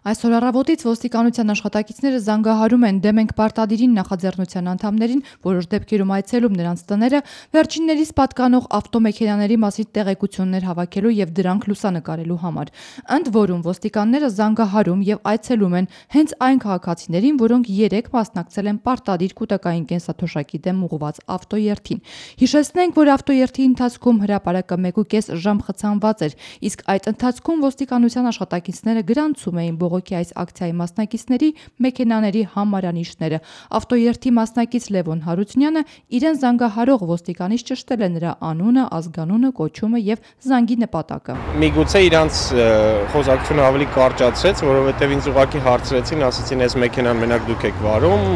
Այսօր առավոտից ոստիկանության աշխատակիցները զանգահարում են դեմ ենք պարտադիրին նախաձեռնության անդամներին, որոշ դեպքերում այցելում նրանց տները, վերջիններիս պատկանող ավտոմեքենաների մասին տեղեկություններ հավաքելու եւ դրանք լուսանկարելու համար։ Ընդ որում ոստիկանները զանգահարում եւ այցելում են հենց այն քաղաքացիներին, որոնք երեկ մասնակցել են պարտադիր կൂട്ടակային կենսաթոշակի դեմ ուղղված ավտոերթին։ Հիշեցնենք, որ ավտոերթի ընթացքում հրապարակը 1.5 ժամ խցանված էր, իսկ այդ ընթացքում ոստիկանության աշխատակիցները գրանցում էին բողոքի այս ակցիայի մասնակիցների մեքենաների համարանիշները։ Ավտոերթի մասնակից Լևոն Հարությունյանը իրեն զանգահարող ոստիկանից ճշտել է նրա անունը, ազգանունը, կոչումը եւ զանգի նպատակը։ Միգուցե իրանց խոսակցությունը ավելի կարճացրեց, որովհետեւ ինձ ուղղակի հարցրեցին, ասացին, այս մեքենան մենակ դուք եք վարում,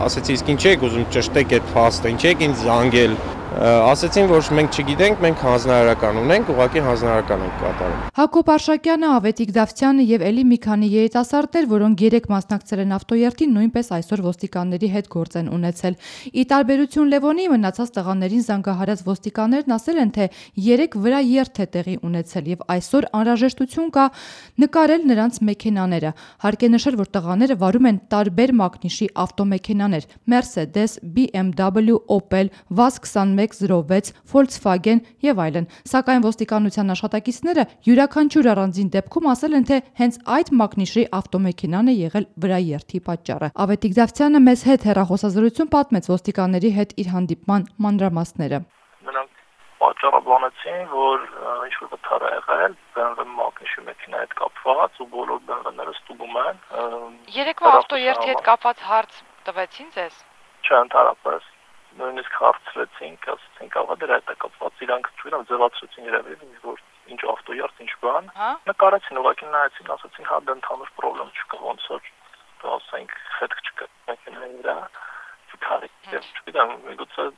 ասեցի, իսկ ինչ եք ուզում ճշտեք այդ փաստը, ինչ եք ինձ զանգել։ Ասեցին, որ մենք չգիտենք, մենք հանձնարարական ունենք, ուղղակի հանձնարարական ենք կատարում։ Հակոբ Արշակյանը, Ավետիք Դավթյանը եւ էլի մի քանի երիտասարդներ, որոնք երեկ մասնակցել են ավտոերթին, նույնպես այսօր ոստիկանների հետ գործ են ունեցել։ Ի տարբերություն Լևոնի, մնացած տղաներին զանգահարած ոստիկաններն ասել են, թե երեկ վրա երթ է տեղի ունեցել եւ այսօր անհրաժեշտություն կա նկարել նրանց մեքենաները։ Հարկ է նշել, որ տղաները վարում են տարբեր մակնիշի ավտոմեքենաներ՝ Mercedes, BMW, Opel, VAZ 2106, Volkswagen եւ այլն։ Սակայն ոստիկանության աշխատակիցները յուրաքանչյուր առանձին դեպքում ասել են, թե հենց այդ մակնիշի ավտոմեքենան է եղել վրաերթի պատճառը։ Ավետիք Դավթյանը մեզ հետ հեռախոսազրույցում պատմեց ոստիկանների հետ իր հանդիպման մանրամասները։ Նրանք պատճառաբանեցին, որ ինչ-որ վթար է եղել BMW մակնիշի մեքենայի հետ կապված ու բոլոր BMW-ները ստուգում են։ Երեկվա ավտոերթի հետ կապված հարց տվեցին ձեզ։ Չէ, ընդհանրապես նույնիսկ հարցրեցինք, ասացինք, աղա դրա հետ է կապված, իրանք չգիտեմ, ձևացրեցին երևի, որ ինչ ավտոերթ, ինչ բան։ Նկարեցին, ուղղակի նայեցին, ասացին, հա դա ընդհանուր խնդրեմ չկա, ոնց որ ասենք, հետք չկա մեքենայի վրա, չքարի։ Չգիտեմ, միգուցե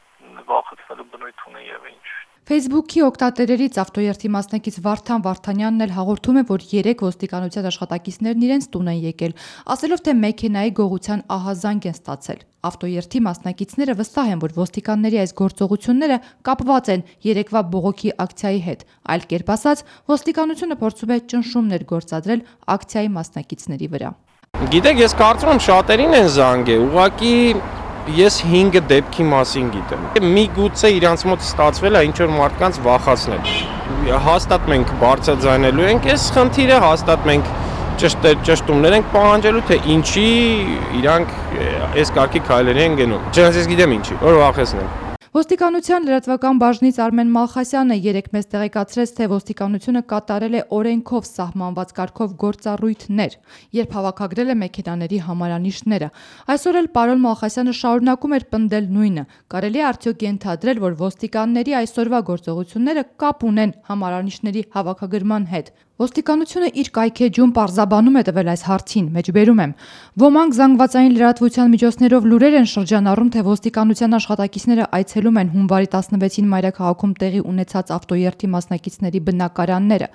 վախեցնելու բնույթ ունի եւ ինչ։ Facebook-ի օգտատերերից ավտոերթի մասնակից Վարդան Վարդանյանն էլ հաղորդում է, որ երեկ ոստիկանության աշխատակիցներն իրենց տուն են եկել, ասելով, թե մեքենայի գողության ահազանգ են ստացել։ Ավտոերթի մասնակիցները վստահ են, որ ոստիկանների այս գործողությունները կապված են երեկվա բողոքի ակցիայի հետ։ Այլ կերպ ասած, ոստիկանությունը փորձում է ճնշումներ գործադրել ակցիայի մասնակիցների վրա։ Գիտեք, ես կարծում եմ շատերին են զանգել, ուղղակի ես 5 դեպքի մասին գիտեմ։ Միգուցե իրանց մոտ ստացվել է ինչ-որ մարդկանց վախացնել։ Հաստատ մենք բարձրաձայնելու ենք այս խնդիրը, հաստատ մենք ճշտումներ ենք պահանջելու, թե ինչի իրանք այս կարգի քայլերի են գնում։ Չնայած ես գիտեմ ինչի, որ վախեցնեն։ Ոստիկանության լրատվական բաժնից Արմեն Մալխասյանը երեկ մեզ տեղեկացրեց, թե ոստիկանությունը կատարել է օրենքով սահմանված կարգով գործառույթներ, երբ հավաքագրել է մեքենաների համարանիշները։ Այսօր էլ պարոն Մալխասյանը շարունակում էր պնդել նույնը։ Կարելի է արդյոք ենթադրել, որ ոստիկանների այսօրվա գործողությունները կապ ունեն համարանիշների հավաքագրման հետ։ Ոստիկանությունը իր կայքեջում պարզաբանում է տվել այս հարցին, մեջբերում եմ։ Ոմանք զանգվածային լրատվության միջոցներով լուրեր են շրջանառում, թե ոստիկանության աշխատակիցները այցելում են հունվարի 16-ին մայրաքաղաքում տեղի ունեցած ավտոերթի մասնակիցների բնակարանները։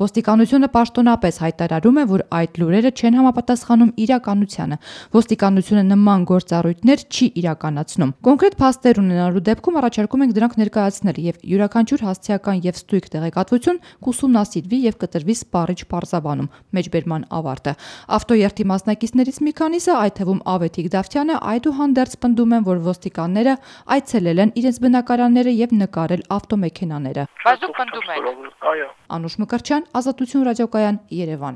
Ոստիկանությունը պաշտոնապես հայտարարում է, որ այդ լուրերը չեն համապատասխանում իրականությանը։ Ոստիկանությունը նման գործառույթներ չի իրականացնում։ Կոնկրետ փաստեր ունենալու դեպքում առաջարկում ենք դրանք ներկայացնել եւ յուրաքանչյուր հասցեական եւ ստույգ տեղեկատվություն կուսումնասիրվի եւ կտրվի սպառիչ պարզաբանում, մեջբերման ավարտը։ Ավտոերթի մասնակիցներից մի քանիսը, այդ թվում Ավետիք Դավթյանը, այդուհանդերձ պնդում են, որ ոստիկանները այցելել են իրենց բնակարանները եւ նկարել ավտոմեքենաները։ Բայց դուք պնդում եք։ Այո։ Անուշ Մկրտչյան, Ազատություն ռադիոկայան, Երևան։